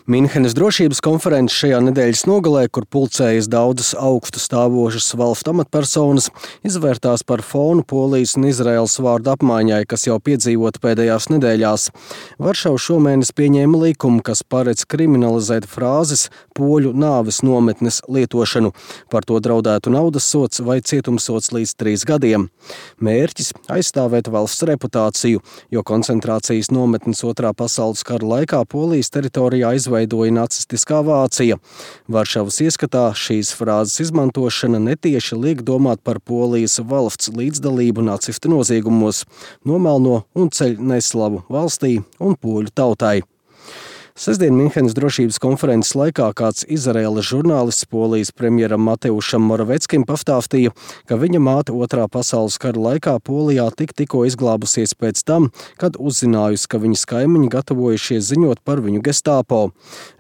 Minhenes drošības konferences šajā nedēļas nogalē, kur pulcējas daudzas augstu stāvošas valstu amatpersonas, izvērtās par fonu Polijas un Izraēlas vārdu apmaiņai, kas jau piedzīvota pēdējās nedēļās. Varšava šomēnes pieņēma likumu, kas paredz kriminalizēt frāzes poļu nāves nometnes lietošanu. Par to draudētu naudas sods vai cietumsods līdz 3 gadiem. Mērķis – aizstāvēt valsts reputāciju, jo koncentrācijas nometnes Otrā pasaules kara laikā Polijas teritorijā izveidoja nacistiskā Vācija. Varšavas ieskatā šīs frāzes izmantošana netieši liek domāt par Polijas valsts līdzdalību nacistu noziegumos, nomelno un ceļ neslavu valstī un poļu tautai. Sestdien Minhenes drošības konferences laikā kāds Izraēlas žurnālists Polijas premjeram Mateušam Moraveckim pastāstīja, ka viņa māte Otrā pasaules kara laikā Polijā tikko izglābusies pēc tam, kad uzzinājusi, ka viņas kaimiņi gatavojušies ziņot par viņu Gestapo.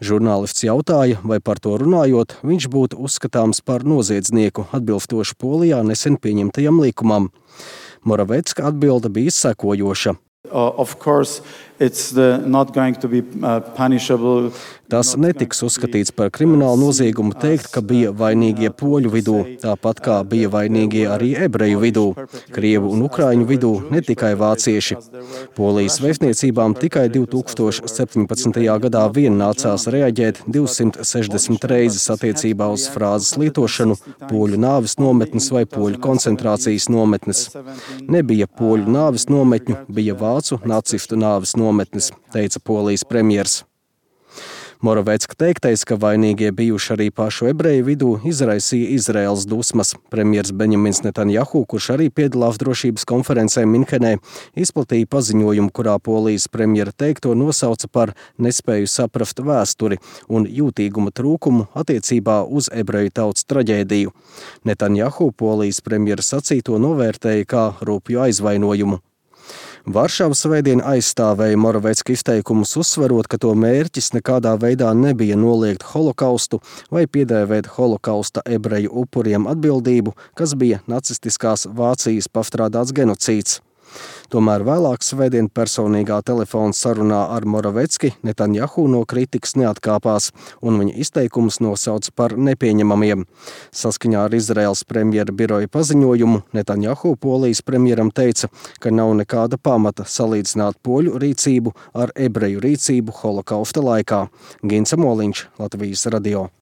Žurnālists jautāja, vai par to runājot, viņš būtu uzskatāms par noziedznieku, atbilstoši Polijā nesen pieņemtajam likumam. Moravecka atbilde bija sekojoša. Tas netiks uzskatīts par kriminālu noziegumu teikt, ka bija vainīgie poļu vidū, tāpat kā bija vainīgie arī ebreju vidū, krievu un ukraiņu vidū, ne tikai vācieši. Polijas vēstniecībām tikai 2017. gadā vien nācās reaģēt 260 reizes attiecībā uz frāzes lietošanu poļu nāves nometnes vai poļu koncentrācijas nometnes. Nebija poļu nāves nometņu, bija vācu nacistu nāves nometnes, teica Polijas premjers. Moravecka teiktais, ka vainīgie bijuši arī pašu ebreju vidū, izraisīja Izraēlas dusmas. Premjers Benjamins Netanjahu, kurš arī piedalās drošības konferencē Minhenē, izplatīja paziņojumu, kurā Polijas premjera teikto nosauca par nespēju saprast vēsturi un jūtīguma trūkumu attiecībā uz ebreju tautas traģēdiju. Netanjahu Polijas premjera sacīto novērtēja kā rupju aizvainojumu. Varšava svētdien aizstāvēja Moravecka izteikumus, uzsverot, ka to mērķis nekādā veidā nebija noliegt holokaustu vai piedēvēt holokausta ebreju upuriem atbildību, kas bija nacistiskās Vācijas pastrādāts genocīds. Tomēr vēlāk svētdien personīgā telefona sarunā ar Moravecki Netanjahu no kritikas neatkāpās un viņa izteikumus nosauca par nepieņemamiem. Saskaņā ar Izraēlas premjera biroja paziņojumu Netanjahu Polijas premjeram teica, ka nav nekāda pamata salīdzināt poļu rīcību ar ebreju rīcību holokausta laikā. Gints Moliņš, Latvijas radio.